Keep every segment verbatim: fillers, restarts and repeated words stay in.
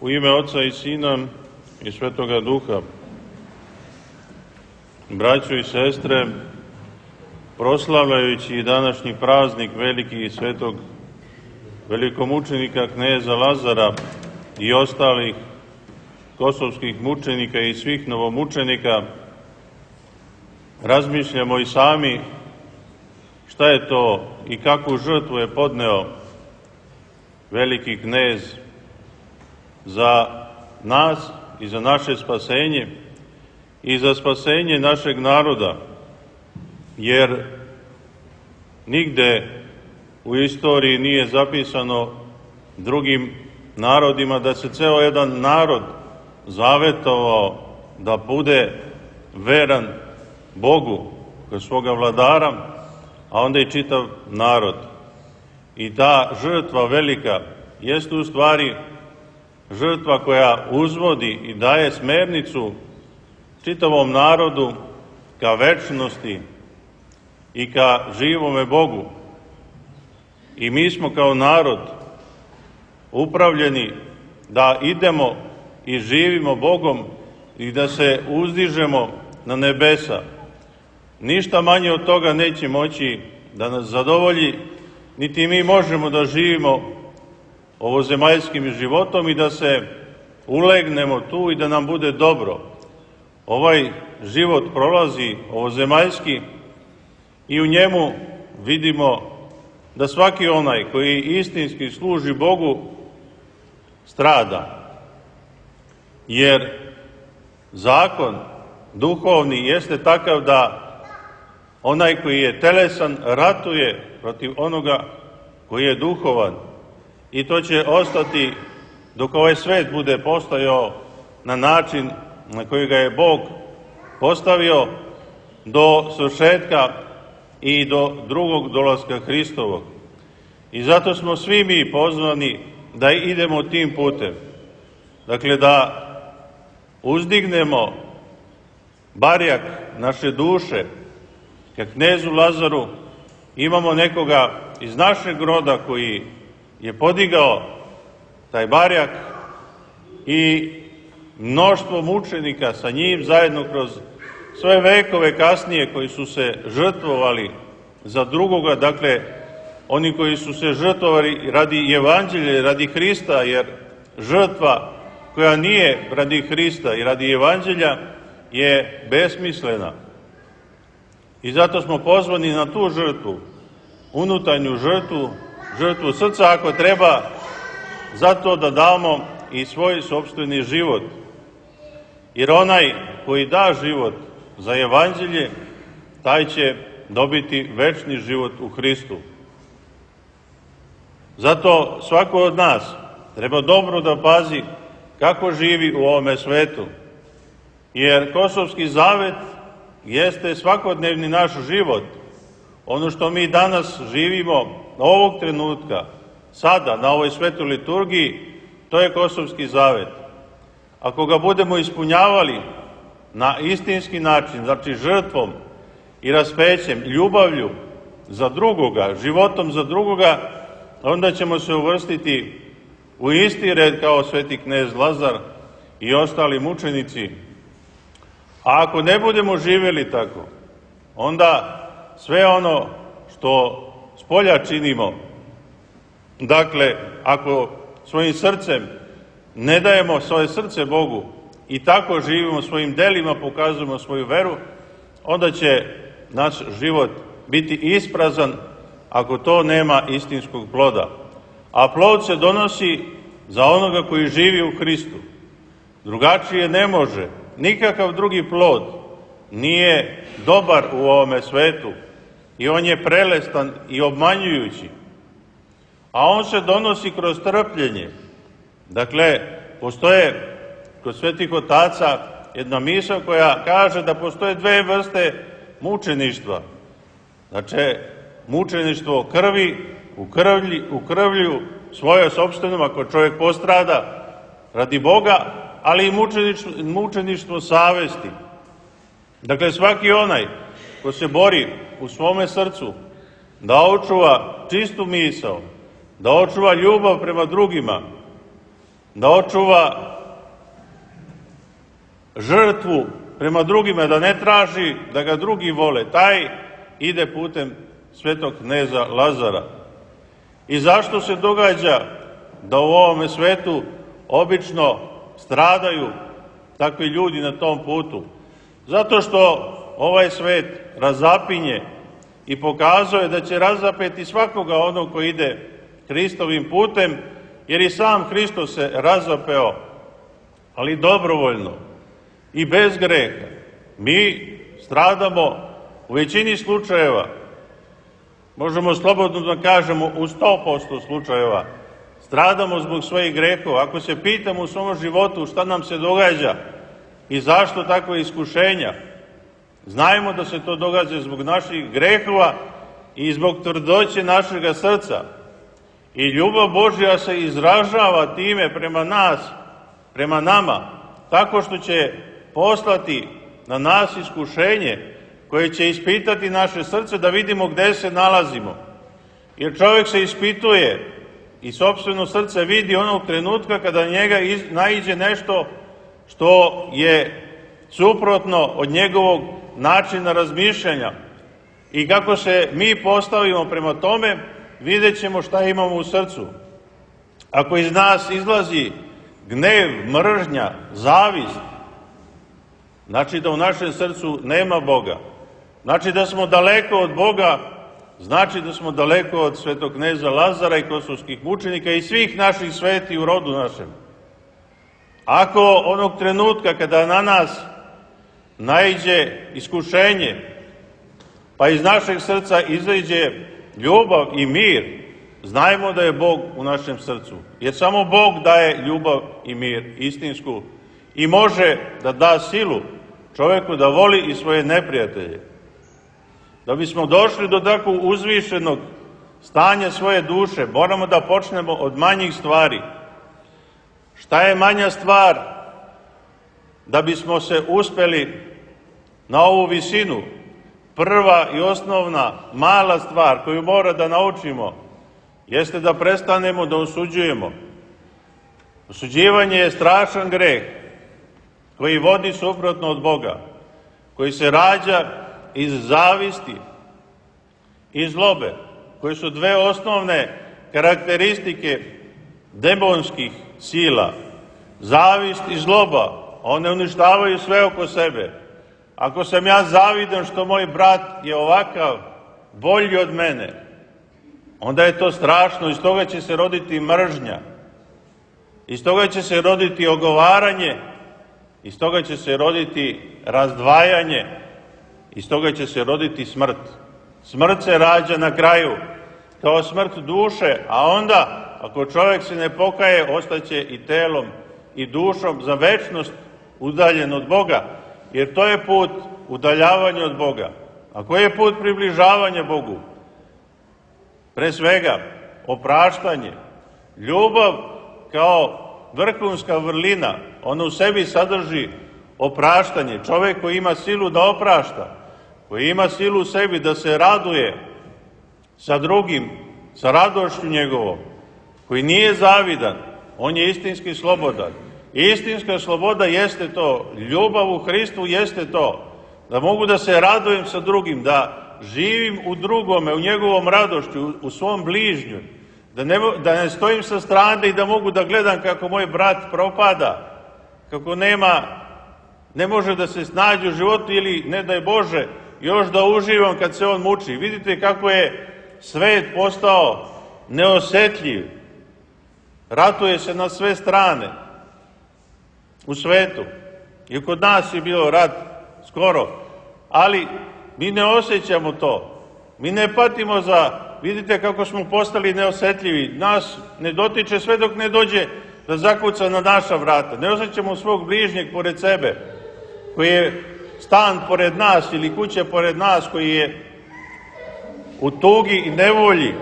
U ime Oca i Sina i Svetoga Duha. Braćo i sestre, proslavljajući današnji praznik veliki svetog velikomučenika kneza Lazara i ostalih kosovskih mučenika i svih novomučenika, razmišljamo i sami šta je to i kakvu žrtvu je podneo veliki knez za nas i za naše spasenje i za spasenje našeg naroda, jer nigde u istoriji nije zapisano drugim narodima da se ceo jedan narod zavetovao da bude veran Bogu kroz svoga vladara, a onda i čitav narod. I ta žrtva velika jeste u stvari žrtva koja uzvodi i daje smernicu čitavom narodu ka večnosti i ka živome Bogu. I mi smo kao narod upravljeni da idemo i živimo Bogom i da se uzdižemo na nebesa. Ništa manje od toga neće moći da nas zadovolji, niti mi možemo da živimo ovozemaljskim životom i da se ulegnemo tu i da nam bude dobro. Ovaj život prolazi ovozemaljski i u njemu vidimo da svaki onaj koji istinski služi Bogu strada. Jer zakon duhovni jeste takav da onaj koji je telesan ratuje protiv onoga koji je duhovan. I to će ostati dok ovaj svet bude postojao na način na koji ga je Bog postavio do svršetka i do drugog dolaska Hristovog. I zato smo svi mi pozvani da idemo tim putem. Dakle, da uzdignemo barjak naše duše ka knezu Lazaru. Imamo nekoga iz našeg roda koji je podigao taj barjak i mnoštvo mučenika sa njim zajedno kroz sve vekove kasnije koji su se žrtvovali za drugoga, dakle oni koji su se žrtvovali radi evanđelja, radi Hrista, jer žrtva koja nije radi Hrista i radi evanđelja je besmislena. I zato smo pozvani na tu žrtvu, unutarnju žrtvu, žrtvu srca ako treba, zato da damo i svoj sopstveni život. Jer onaj koji da život za evanđelje, taj će dobiti večni život u Hristu. Zato svako od nas treba dobro da pazi kako živi u ovome svetu. Jer Kosovski zavet jeste svakodnevni naš život. Ono što mi danas živimo ovog trenutka, sada, na ovoj svetoj liturgiji, to je Kosovski zavet. Ako ga budemo ispunjavali na istinski način, znači žrtvom i raspećem, ljubavlju za drugoga, životom za drugoga, onda ćemo se uvrstiti u isti red kao sveti knez Lazar i ostali mučenici. A ako ne budemo živjeli tako, onda sve ono što spolja činimo, dakle, ako svojim srcem ne dajemo svoje srce Bogu i tako živimo svojim delima, pokazujemo svoju veru, onda će naš život biti isprazan ako to nema istinskog ploda. A plod se donosi za onoga koji živi u Hristu. Drugačije ne može. Nikakav drugi plod nije dobar u ovome svetu i on je prelestan i obmanjujući. A on se donosi kroz trpljenje. Dakle, postoje kod svetih otaca jedna misao koja kaže da postoje dve vrste mučeništva. Znači, mučeništvo krvi, u, krvlji, u krvlju svoje sopstvenom, ako čovjek postrada radi Boga, ali i mučeništvo, mučeništvo savesti. Dakle, svaki onaj ko se bori u svome srcu da očuva čistu misao, da očuva ljubav prema drugima, da očuva žrtvu prema drugima, da ne traži da ga drugi vole. Taj ide putem svetog kneza Lazara. I zašto se događa da u ovome svetu obično stradaju takvi ljudi na tom putu? Zato što ovaj svet razapinje i pokazuje da će razapeti svakoga onog koji ide Hristovim putem, jer i sam Hristos se razapeo, ali dobrovoljno i bez greha. Mi stradamo u većini slučajeva, možemo slobodno da kažemo u sto posto slučajeva, stradamo zbog svojih grehova. Ako se pitamo u svom životu šta nam se događa i zašto takve iskušenja, znajmo da se to događa zbog naših grehova i zbog tvrdoće našega srca. I ljubav Božja se izražava time prema nas, prema nama, tako što će poslati na nas iskušenje koje će ispitati naše srce da vidimo gde se nalazimo. Jer čovjek se ispituje i sopstveno srce vidi onog trenutka kada njega naiđe nešto što je suprotno od njegovog načina razmišljanja. I kako se mi postavimo prema tome, vidjet ćemo šta imamo u srcu. Ako iz nas izlazi gnev, mržnja, zavist, znači da u našem srcu nema Boga. Znači da smo daleko od Boga, znači da smo daleko od svetog kneza Lazara i kosovskih mučenika i svih naših sveti u rodu našem. Ako onog trenutka kada na nas naiđe iskušenje, pa iz našeg srca izađe ljubav i mir, znajmo da je Bog u našem srcu. Jer samo Bog daje ljubav i mir istinsku i može da da silu čovjeku da voli i svoje neprijatelje. Da bismo došli do takvog uzvišenog stanja svoje duše, moramo da počnemo od manjih stvari. Šta je manja stvar da bismo se uspeli na ovu visinu? Prva i osnovna mala stvar koju mora da naučimo jeste da prestanemo da osuđujemo. Osuđivanje je strašan greh koji vodi suprotno od Boga, koji se rađa iz zavisti i zlobe, koje su dve osnovne karakteristike demonskih sila. Zavist i zloba, one uništavaju sve oko sebe. Ako sam ja zavidan što moj brat je ovakav, bolji od mene, onda je to strašno, iz toga će se roditi mržnja, iz toga će se roditi ogovaranje, iz toga će se roditi razdvajanje, iz toga će se roditi smrt. Smrt se rađa na kraju kao smrt duše, a onda, ako čovjek se ne pokaje, ostaće i telom i dušom za večnost udaljen od Boga, jer to je put udaljavanja od Boga. A koji je put približavanja Bogu? Pre svega, opraštanje. Ljubav kao vrhunska vrlina, ona u sebi sadrži opraštanje. Čovjek koji ima silu da oprašta, koji ima silu u sebi da se raduje sa drugim, sa radošću njegovom, koji nije zavidan, on je istinski slobodan. Istinska sloboda jeste to, ljubav u Hristu jeste to, da mogu da se radujem sa drugim, da živim u drugome, u njegovom radošću, u svom bližnju, da ne, da ne stojim sa strane i da mogu da gledam kako moj brat propada, kako nema, ne može da se snađe u životu ili, ne daj Bože, još da uživam kad se on muči. Vidite kako je svet postao neosetljiv, ratuje se na sve strane u svetu. I kod nas je bio rat skoro, ali mi ne osjećamo to. Mi ne patimo za, vidite kako smo postali neosetljivi. Nas ne dotiče sve dok ne dođe da zakuca na naša vrata. Ne osjećamo svog bližnjeg pored sebe, koji je stan pored nas ili kuća pored nas, koji je u tugi i nevolji.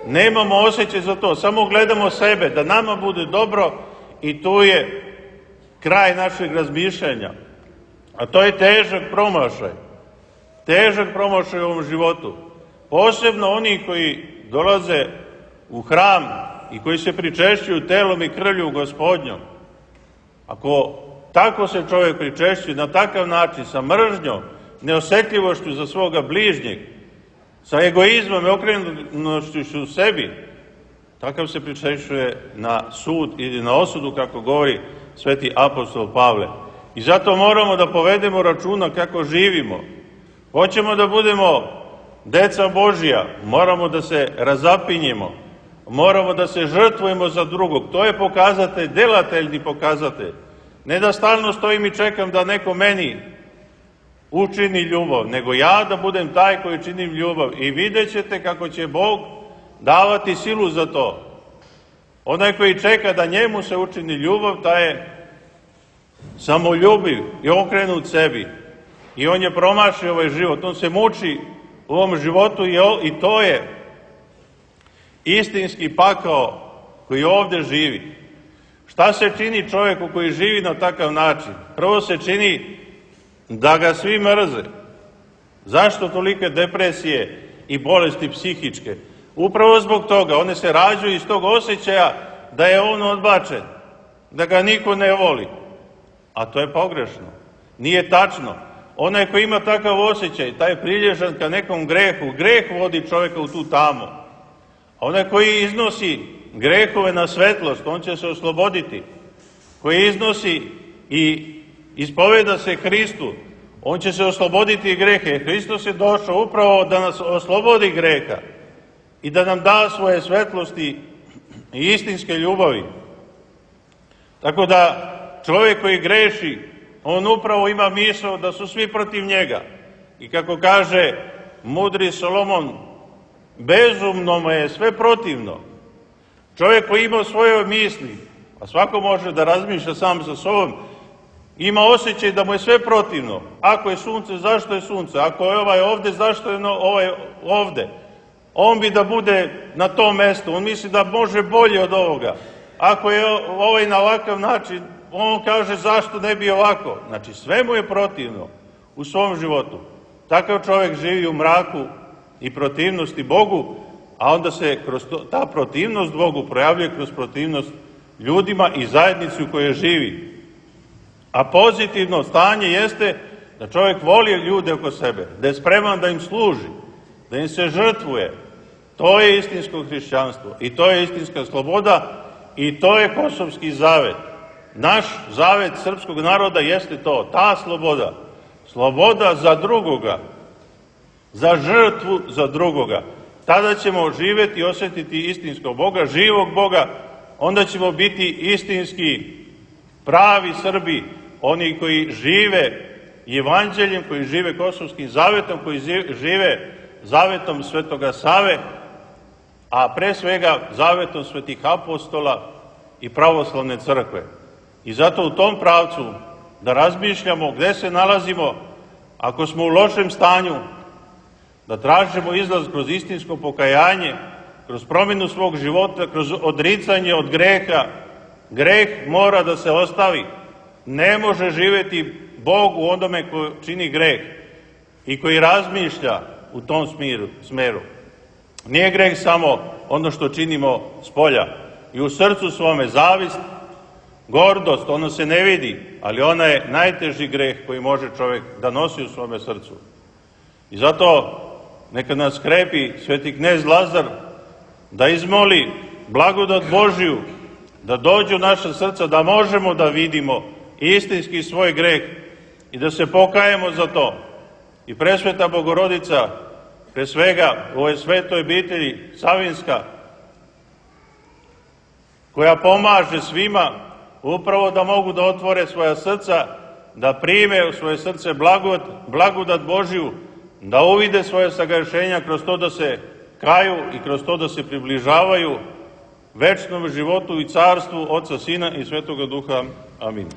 Nemamo osjećaj za to, samo gledamo sebe, da nama bude dobro i tu je kraj našeg razmišljanja. A to je težak promašaj. Težak promašaj u ovom životu. Posebno oni koji dolaze u hram i koji se pričešćuju telom i krvlju Gospodnjom, ako tako se čovjek pričešćuje na takav način, sa mržnjom, neosjetljivošću za svoga bližnjeg, sa egoizmom i okrenutošću u sebi, takav se pričešćuje na sud ili na osudu, kako govori sveti apostol Pavle. I zato moramo da povedemo računa kako živimo. Hoćemo da budemo deca Božja, moramo da se razapinjemo, moramo da se žrtvujemo za drugog. To je pokazatelj, delateljni pokazatelj. Ne da stalno stojim i čekam da neko meni učini ljubav, nego ja da budem taj koji činim ljubav. I vidjet ćete kako će Bog davati silu za to. Onaj koji čeka da njemu se učini ljubav, taj je samoljubiv i okrenut sebi. I on je promašio ovaj život, on se muči u ovom životu i to je istinski pakao koji ovde živi. Šta se čini čovjeku koji živi na takav način? Prvo se čini da ga svi mrze. Zašto tolike depresije i bolesti psihičke? Upravo zbog toga, one se rađaju iz tog osjećaja da je on odbačen, da ga niko ne voli. A to je pogrešno. Nije tačno. Onaj koji ima takav osjećaj, taj je prilježan ka nekom grehu. Greh vodi čovjeka u tu tamu. A onaj koji iznosi grehove na svetlost, on će se osloboditi. Koji iznosi i ispoveda se Hristu, on će se osloboditi grehe. Hristos je došao upravo da nas oslobodi greha i da nam da svoje svetlosti i istinske ljubavi. Tako da čovjek koji greši, on upravo ima misao da su svi protiv njega. I kako kaže mudri Solomon, bezumno mu je sve protivno. Čovjek koji ima svoje misli, a svako može da razmišlja sam sa sobom, ima osjećaj da mu je sve protivno. Ako je sunce, zašto je sunce? Ako je ovaj ovde, zašto je ovaj ovde? On bi da bude na tom mestu, on misli da može bolje od ovoga. Ako je ovaj na ovakav način, on kaže zašto ne bi ovako. Znači sve mu je protivno u svom životu. Takav čovjek živi u mraku i protivnosti Bogu, a onda se kroz to, ta protivnost Bogu projavljuje kroz protivnost ljudima i zajednici u kojoj živi. A pozitivno stanje jeste da čovjek voli ljude oko sebe, da je spreman da im služi, da im se žrtvuje. To je istinsko hrišćanstvo i to je istinska sloboda i to je kosovski zavet. Naš zavet srpskog naroda jeste to, ta sloboda. Sloboda za drugoga, za žrtvu za drugoga. Tada ćemo živjeti i osjetiti istinskog Boga, živog Boga, onda ćemo biti istinski pravi Srbi, oni koji žive evanđeljem, koji žive kosovskim zavetom, koji žive zavetom Svetoga Save, a pre svega zavetom svetih apostola i pravoslavne crkve. I zato u tom pravcu da razmišljamo gde se nalazimo, ako smo u lošem stanju, da tražimo izlaz kroz istinsko pokajanje, kroz promjenu svog života, kroz odricanje od greha. Greh mora da se ostavi. Ne može živjeti Bog u onome ko čini greh i koji razmišlja u tom smeru. Nije greh samo ono što činimo s polja. I u srcu svome zavist, gordost, ono se ne vidi, ali ona je najteži greh koji može čovjek da nosi u svome srcu. I zato neka nas krepi sveti knez Lazar da izmoli blagodat Božiju, da dođu u naša srca, da možemo da vidimo istinski svoj greh i da se pokajemo za to. I presveta Bogorodica, pre svega u ovoj svetoj obitelji Savinska, koja pomaže svima upravo da mogu da otvore svoja srca, da prime u svoje srce blagodat, blagodat Božiju, da uvide svoje sagrešenja kroz to da se kaju i kroz to da se približavaju večnom životu i carstvu Oca, Sina i Svetoga Duha. Amin.